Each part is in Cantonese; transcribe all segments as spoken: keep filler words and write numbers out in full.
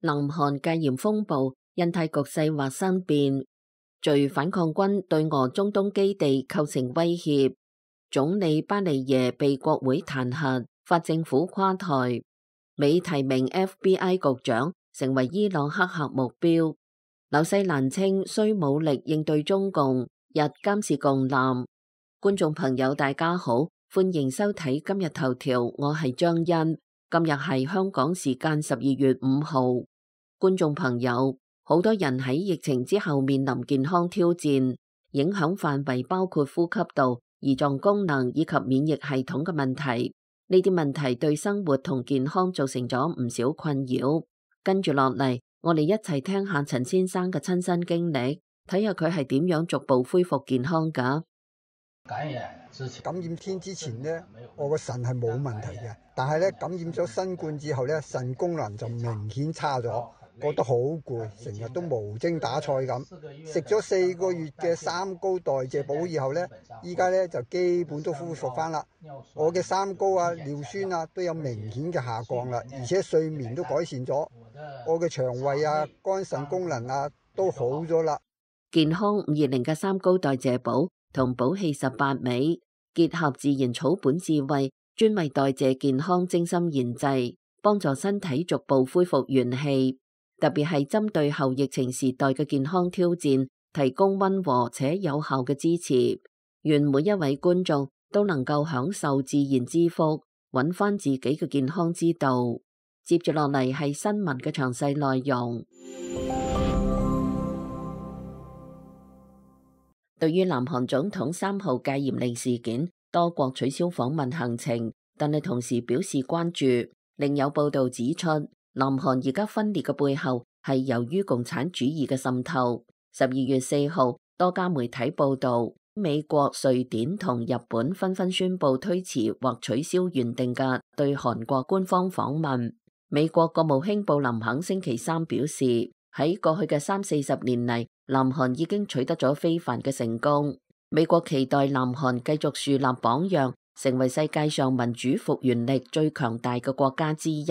南韓戒嚴風暴，印太局勢或生變，敘反抗軍對俄中東基地構成威脅，總理巴尼耶被國會彈劾，法政府垮台，美提名 F B I 局長成為伊朗黑客目標，紐西蘭稱需武力應對中共，日監視共艦。觀眾朋友大家好，歡迎收睇今日頭條，我係張欣。今日係香港時間十二月五號。觀眾朋友，好多人喺疫情之後面臨健康挑戰，影響範圍包括呼吸道、胰臟功能以及免疫系統嘅問題。呢啲問題對生活同健康造成咗唔少困擾。跟住落嚟，我哋一齊聽下陳先生嘅親身經歷，睇下佢係點樣逐步恢復健康㗎。感染之前，感染天之前呢，我個腎係冇問題嘅，但係咧感染咗新冠之後咧，腎功能就明顯差咗，覺得好攰，成日都無精打采咁。食咗四個月嘅三高代謝補以後咧，依家咧就基本都恢復翻啦。我嘅三高啊、尿酸啊都有明顯嘅下降啦，而且睡眠都改善咗，我嘅腸胃啊、肝腎功能啊都好咗啦。健康五二零嘅三高代謝補同補氣十八味，結合自然草本智慧，專為代謝健康精心研製，幫助身體逐步恢復元氣。特別係針對後疫情時代嘅健康挑戰，提供溫和且有效嘅支持。願每一位觀眾都能夠享受自然之福，揾翻自己嘅健康之道。接住落嚟係新聞嘅詳細內容。對於南韓總統三號戒嚴令事件，多國取消訪問行程，但係同時表示關注。另有報道指出，南韓而家分裂嘅背後係由於共產主義嘅滲透。十二月四號，多家媒體報道，美國、瑞典同日本紛紛宣布推遲或取消原定嘅對韓國官方訪問。美國國務卿布林肯星期三表示，喺過去嘅三四十年嚟，南韓已經取得咗非凡嘅成功。美國期待南韓繼續樹立榜樣，成為世界上民主復原力最強大嘅國家之一。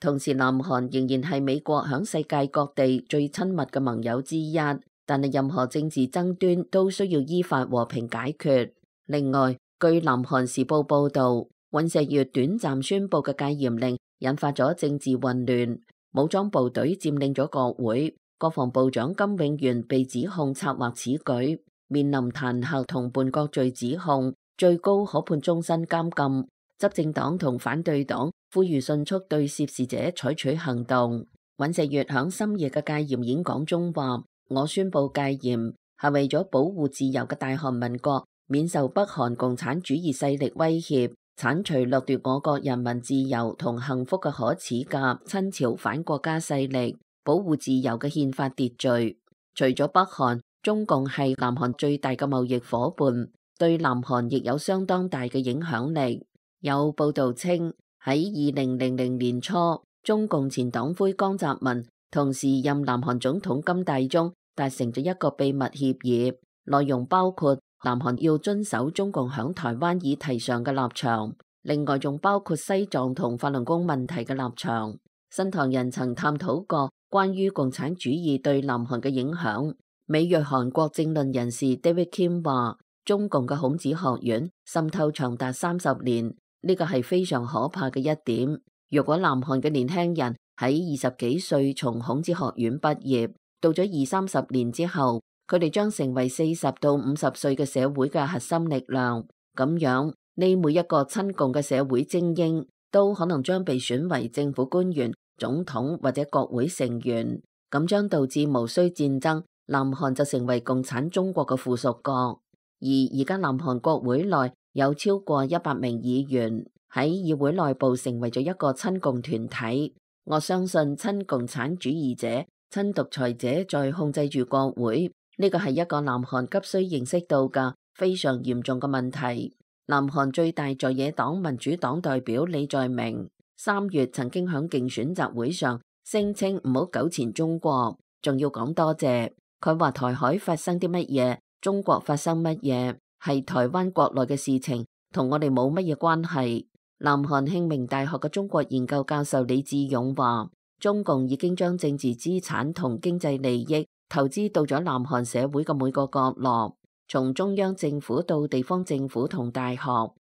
同時，南韓仍然係美國響世界各地最親密嘅盟友之一。但係任何政治爭端都需要依法和平解決。另外，據南韓時報報道，尹錫悅短暫宣布嘅戒嚴令引發咗政治混亂，武裝部隊佔領咗國會。國防部長金永元被指控策劃此舉，面臨彈劾同叛國罪指控，最高可判終身監禁。執政黨同反對黨呼籲迅速對涉事者採取行動。尹錫悅響深夜嘅戒嚴演講中話：我宣布戒嚴係為咗保護自由嘅大韓民國免受北韓共產主義勢力威脅，剷除掠奪我國人民自由同幸福嘅可恥嘅親朝反國家勢力，保護自由嘅憲法秩序。除咗北韓，中共係南韓最大嘅貿易夥伴，對南韓亦有相當大嘅影響力。有報道稱，喺二零零零年初，中共前黨魁江澤民同時任南韓總統金大中達成咗一個秘密協議，內容包括南韓要遵守中共響台灣議題上嘅立場，另外仲包括西藏同法輪功問題嘅立場。新唐人曾探討過關於共產主義對南韓嘅影響。美裔韓國政論人士 David Kim 話，中共嘅孔子學院滲透長達三十年，呢個係非常可怕嘅一點。如果南韓嘅年輕人喺二十幾歲從孔子學院畢業，到咗二三十年之後，佢哋將成為四十到五十歲嘅社會嘅核心力量。咁樣，呢每一個親共嘅社會精英都可能將被選為政府官員、總統或者國會成員，咁將導致無需戰爭，南韓就成為共產中國嘅附屬國。而而家南韓國會內有超過一百名議員，喺議會內部成為咗一個親共團體。我相信親共產主義者、親獨裁者在控制住國會，呢個係一個南韓急需認識到嘅非常嚴重嘅問題。南韓最大在野黨民主黨代表李在明三月曾經響競選集會上聲稱唔好糾纏中國，仲要講多謝。佢話台海發生啲乜嘢，中國發生乜嘢，係台灣國內嘅事情，同我哋冇乜嘢關係。南韓慶明大學嘅中國研究教授李志勇話，中共已經將政治資產同經濟利益投資到咗南韓社會嘅每個角落，從中央政府到地方政府同大學，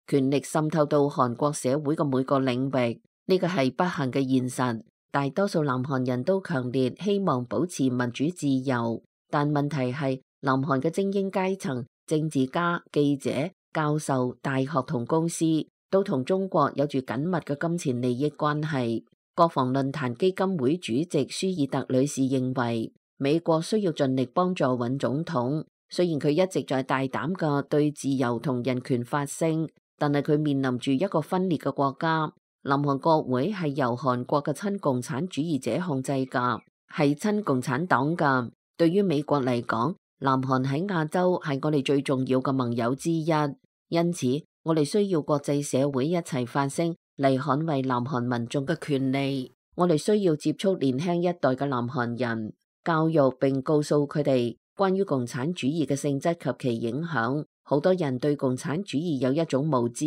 權力滲透到韓國社會嘅每個領域。呢個係不幸嘅現實。大多數南韓人都強烈希望保持民主自由，但問題係南韓嘅精英階層、政治家、記者、教授、大學同公司都同中國有住緊密嘅金錢利益關係。國防論壇基金會主席舒爾特女士認為，美國需要盡力幫助尹總統，雖然佢一直在大膽嘅對自由同人權發聲，但係佢面臨住一個分裂嘅國家。南韓國會係由韓國嘅親共產主義者控制㗎，係親共產黨㗎。對於美國嚟講，南韓喺亞洲係我哋最重要嘅盟友之一，因此我哋需要國際社會一齊發聲嚟捍衛南韓民眾嘅權利。我哋需要接觸年輕一代嘅南韓人，教育並告訴佢哋關於共產主義嘅性質及其影響。好多人對共產主義有一種無知，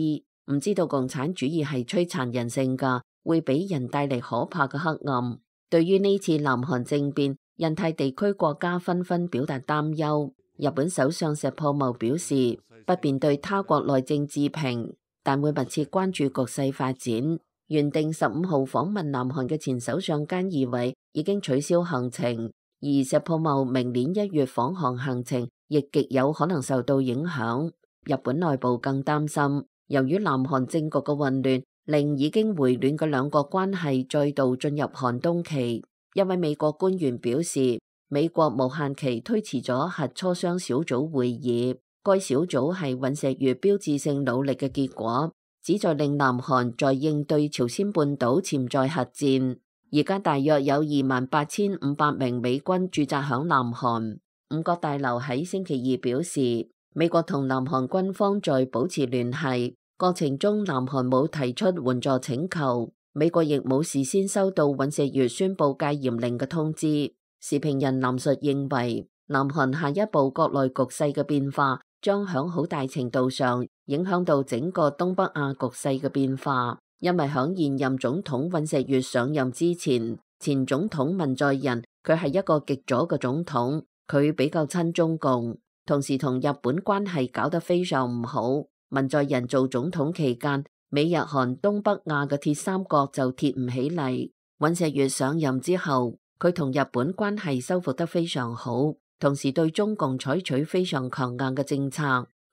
唔知道共產主義係摧殘人性㗎，會俾人帶嚟可怕嘅黑暗。對於呢次南韓政變，印太地區國家紛紛表達擔憂。日本首相石破茂表示，不便對他國內政置評，但會密切關注局勢發展。原定十五號訪問南韓嘅前首相菅義偉已經取消行程，而石破茂明年一月訪韓行程亦極有可能受到影響。日本內部更擔心，由於南韓政局嘅混亂，令已經回暖嘅兩國關係再度進入寒冬期。一位美國官員表示，美國無限期推遲咗核磋商小組會議，該小組係尹錫悅標誌性努力嘅結果，旨在令南韓在應對朝鮮半島潛在核戰。而家大約有二萬八千五百名美軍駐紮響南韓。五角大樓喺星期二表示，美國同南韓軍方在保持聯繫過程中，南韓冇提出援助請求，美國亦冇事先收到尹錫悅宣布戒嚴令嘅通知。時評人林述認為，南韓下一步國內局勢嘅變化將響好大程度上影響到整個東北亞局勢嘅變化，因為響現任總統尹錫悅上任之前，前總統文在寅佢係一個極左嘅總統，佢比較親中共，同時同日本關係搞得非常唔好。文在寅做總統期間，美日韓東北亞嘅鐵三角就鐵唔起嚟。尹錫悅上任之後，佢同日本關係修復得非常好，同時對中共採取非常強硬嘅政策，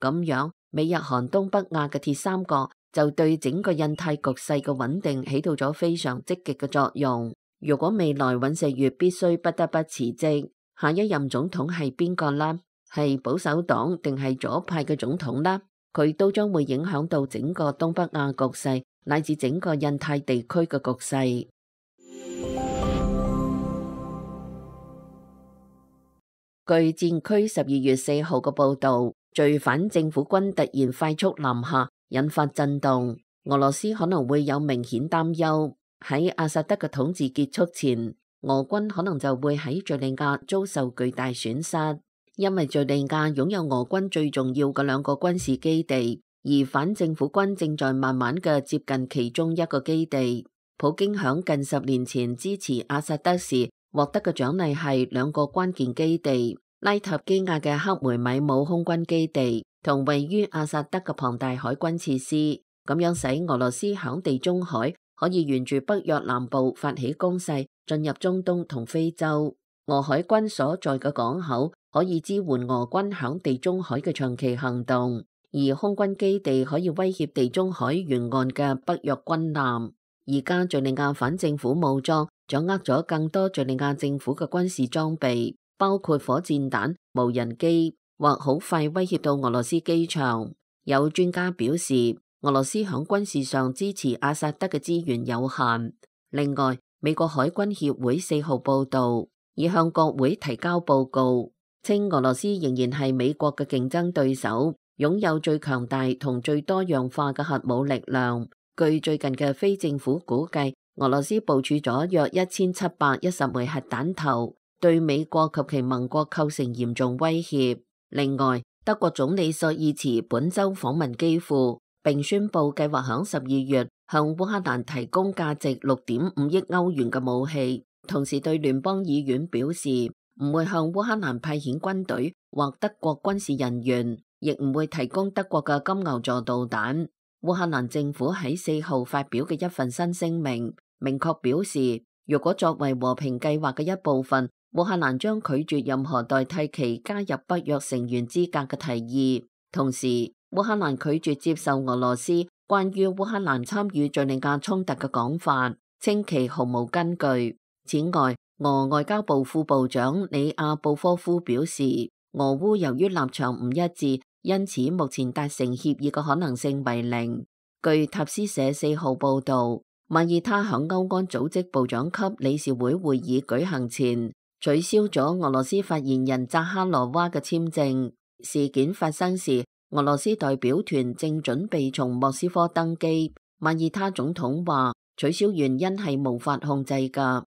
咁樣美日韓東北亞嘅鐵三角就對整個印太局勢嘅穩定起到咗非常積極嘅作用。如果未來尹錫悅必須不得不辭職，下一任總統係邊個呢？係保守黨定係左派嘅總統呢？佢都將會影響到整個東北亞局勢，乃至整個印太地區嘅局勢。據戰區十二月四號嘅報導，罪犯政府軍突然快速南下，引發震動。俄羅斯可能會有明顯擔憂，喺阿薩德嘅統治結束前，俄軍可能就會喺敘利亞遭受巨大損失。因為敘利亞擁有俄軍最重要嘅兩個軍事基地，而反政府軍正在慢慢嘅接近其中一個基地。普京響近十年前支持阿薩德時獲得嘅獎勵係兩個關鍵基地：拉塔基亞嘅克梅米姆空軍基地同位於阿薩德嘅龐大海軍設施。咁樣使俄羅斯響地中海可以沿住北約南部發起攻勢，進入中東同非洲。俄海軍所在嘅港口可以支援俄軍響地中海嘅長期行動，而空軍基地可以威脅地中海沿岸嘅北約軍艦。而家敘利亞反政府武裝掌握咗更多敘利亞政府嘅軍事裝備，包括火箭彈、無人機，或好快威脅到俄羅斯機場。有專家表示，俄羅斯響軍事上支持阿薩德嘅資源有限。另外，美國海軍協會四號報道，已向國會提交報告，稱俄羅斯仍然係美國嘅競爭對手，擁有最強大同最多樣化嘅核武力量。據最近嘅非政府估計，俄羅斯部署咗約一千七百一十枚核彈頭，對美國及其盟國構成嚴重威脅。另外，德國總理朔爾茨本周訪問基輔，並宣布計劃響十二月向烏克蘭提供價值六點五億歐元嘅武器，同時對聯邦議院表示唔會向烏克蘭派遣軍隊或德國軍事人員，亦唔會提供德國嘅金牛座導彈。烏克蘭政府喺四號發表嘅一份新聲明，明確表示，如果作為和平計劃嘅一部分，烏克蘭將拒絕任何代替其加入北約成員資格嘅提議。同時，烏克蘭拒絕接受俄羅斯關於烏克蘭參與敘利亞衝突嘅講法，稱其毫無根據。此外，俄外交部副部長里亞布科夫表示，俄烏由於立場唔一致，因此目前達成協議嘅可能性為零。據塔斯社四號報導，馬耳他響歐安組織部長級理事會會議舉行前，取消咗俄羅斯發言人扎哈羅娃嘅簽證。事件發生時，俄羅斯代表團正準備從莫斯科登機。馬耳他總統話，取消原因係無法控制㗎。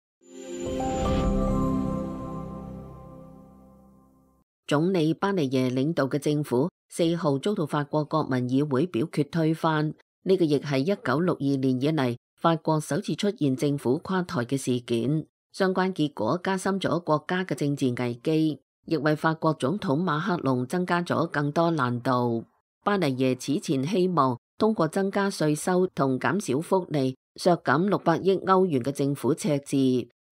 總理巴尼耶領導嘅政府四號遭到法國國民議會表決推翻，呢個亦係一九六二年以嚟法國首次出現政府垮台嘅事件。相關結果加深咗國家嘅政治危機，亦為法國總統馬克龍增加咗更多難度。巴尼耶此前希望通過增加稅收同減少福利，削減六百億歐元嘅政府赤字，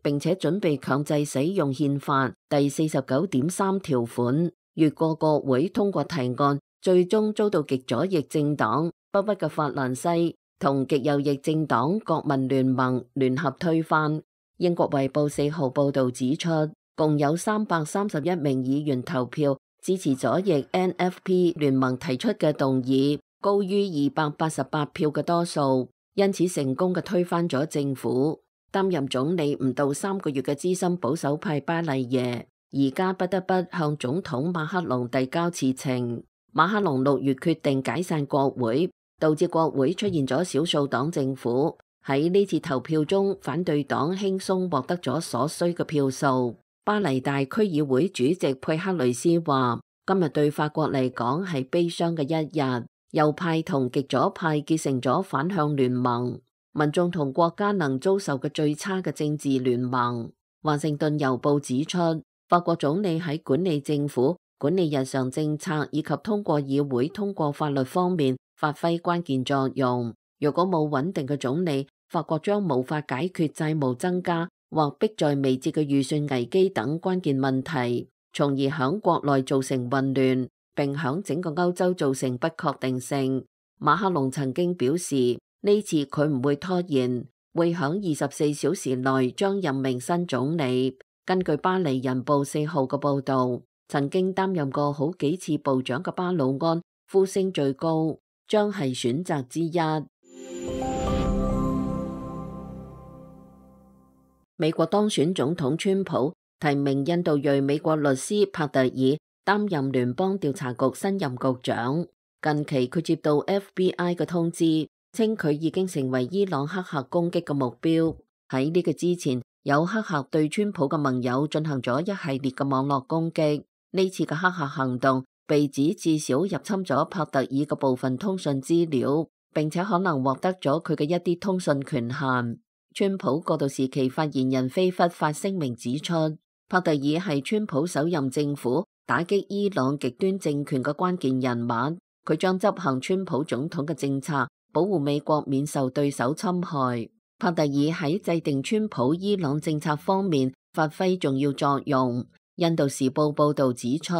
並且準備強制使用憲法第四十九點三條款，越過國會通過提案，最終遭到極左翼政黨不屈嘅法蘭西同極右翼政黨國民聯盟聯合推翻。英國衛報四號報導指出，共有三百三十一名議員投票支持左翼 N F P 聯盟提出嘅動議，高於二百八十八票嘅多數，因此成功嘅推翻咗政府。擔任總理唔到三個月嘅資深保守派巴尼耶，而家不得不向總統馬克龍遞交辭呈。馬克龍六月決定解散國會，導致國會出現咗少數黨政府。喺呢次投票中，反對黨輕鬆獲得咗所需嘅票數。巴黎大區議會主席佩克雷斯話：今日對法國嚟講係悲傷嘅一日，右派同極左派結成咗反向聯盟，民眾同國家能遭受嘅最差嘅政治聯盟。華盛頓郵報指出，法國總理喺管理政府、管理日常政策以及通過議會通過法律方面發揮關鍵作用。如果冇穩定嘅總理，法國將無法解決債務增加或迫在眉睫嘅預算危機等關鍵問題，從而響國內造成混亂，並響整個歐洲造成不確定性。馬克龍曾經表示，呢次佢唔會拖延，會響二十四小時內將任命新總理。根據巴黎人報四號嘅報導，曾經擔任過好幾次部長嘅巴魯安呼聲最高，將係選擇之一。美國當選總統川普提名印度裔美國律師帕特爾擔任聯邦調查局新任局長。近期佢接到 F B I 嘅通知，稱佢已經成為伊朗黑客攻擊嘅目標。喺呢個之前，有黑客對川普嘅盟友進行咗一系列嘅網絡攻擊。呢次嘅黑客行動被指至少入侵咗帕特爾嘅部分通訊資料，並且可能獲得咗佢嘅一啲通訊權限。川普過渡時期發言人菲弗發聲明指出，帕特爾係川普首任政府打擊伊朗極端政權嘅關鍵人物，佢將執行川普總統嘅政策，保護美國免受對手侵害。帕特爾喺制定川普伊朗政策方面發揮重要作用。印度時報報道指出，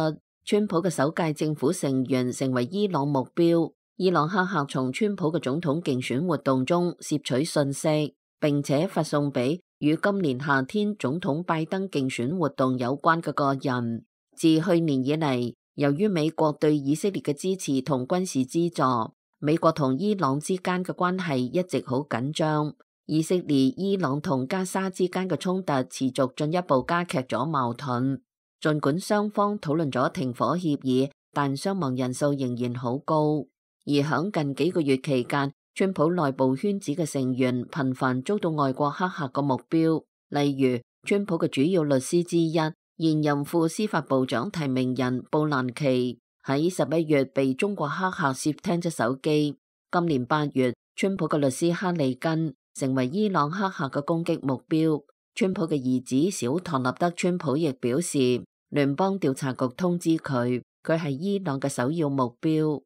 川普嘅首屆政府成員成為伊朗目標，伊朗黑客從川普嘅總統競選活動中攝取信息，並且發送俾與今年夏天總統拜登競選活動有關嘅個人。自去年以嚟，由於美國對以色列嘅支持同軍事資助，美國同伊朗之間嘅關係一直好緊張。以色列、伊朗同加沙之間嘅衝突持續進一步加劇咗矛盾。儘管雙方討論咗停火協議，但傷亡人數仍然好高。而響近幾個月期間，川普內部圈子嘅成員頻繁遭到外國黑客嘅目標，例如川普嘅主要律師之一、現任副司法部長提名人布蘭奇喺十一月被中國黑客竊聽咗手機。今年八月，川普嘅律師哈利根成為伊朗黑客嘅攻擊目標。川普嘅兒子小唐納德川普亦表示，聯邦調查局通知佢，佢係伊朗嘅首要目標。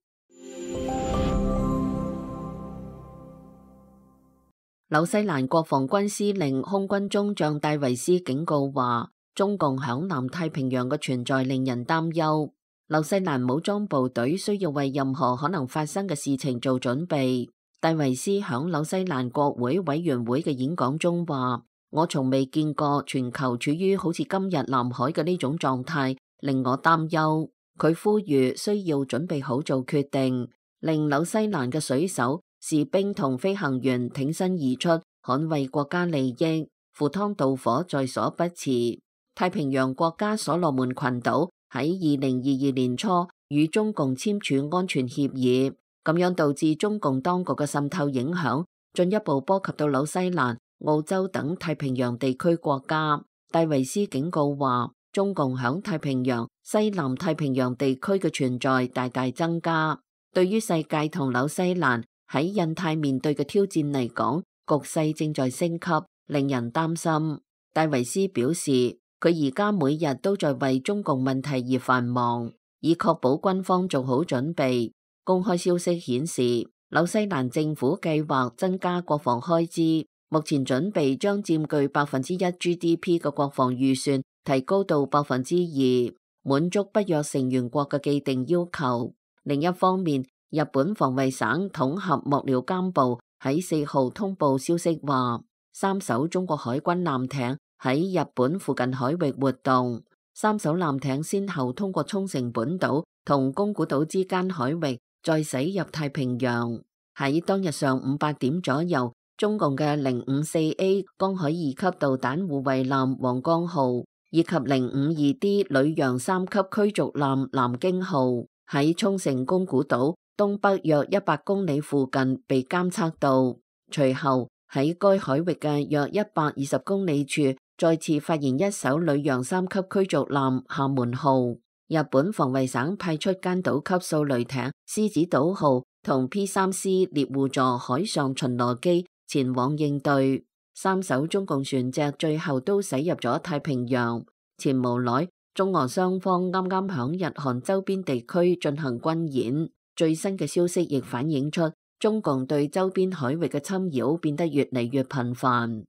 紐西蘭國防軍司令空軍中將戴維斯警告話，中共響南太平洋嘅存在令人擔憂。紐西蘭武裝部隊需要為任何可能發生嘅事情做準備。戴維斯響紐西蘭國會委員會嘅演講中話，我從未見過全球處於好似今日南海嘅呢種狀態，令我擔憂。佢呼籲需要準備好做決定，令紐西蘭嘅水手、士兵同飛行員挺身而出，捍衛國家利益，赴湯蹈火在所不辭。太平洋國家所羅門群島喺二零二二年初與中共簽署安全協議，咁樣導致中共當局嘅滲透影響進一步波及到紐西蘭、澳洲等太平洋地區國家。戴維斯警告話，中共響太平洋、西南太平洋地區嘅存在大大增加，對於世界同紐西蘭喺印太面對嘅挑戰嚟講，局勢正在升級，令人擔心。戴維斯表示，佢而家每日都在為中共問題而繁忙，以確保軍方做好準備。公開消息顯示，紐西蘭政府計劃增加國防開支，目前準備將佔據百分之一 G D P 嘅國防預算提高到百分之二，滿足北約成員國嘅既定要求。另一方面，日本防衛省統合幕僚監部喺四號通報消息話，三艘中國海軍艦艇喺日本附近海域活動，三艘艦艇先後通過沖繩本島同宮古島之間海域，再駛入太平洋。喺當日上午八點左右，中共嘅零五四 A 江海二級導彈護衛艦黃江號以及零五二 D 旅洋三級驅逐艦南京號喺沖繩宮古島東北約一百公里附近被監測到，隨後喺該海域嘅約一百二十公里處再次發現一艘旅洋三級驅逐艦廈門號。日本防衛省派出奸島級掃雷艇獅子島號同 P 三 C 獵戶座海上巡邏機前往應對，三艘中共船隻最後都駛入咗太平洋。前無耐，中俄雙方啱啱響日韓周邊地區進行軍演。最新嘅消息亦反映出中共對周邊海域嘅侵擾變得越嚟越頻繁。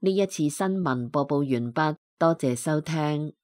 呢一次新聞播報完畢，多謝收聽。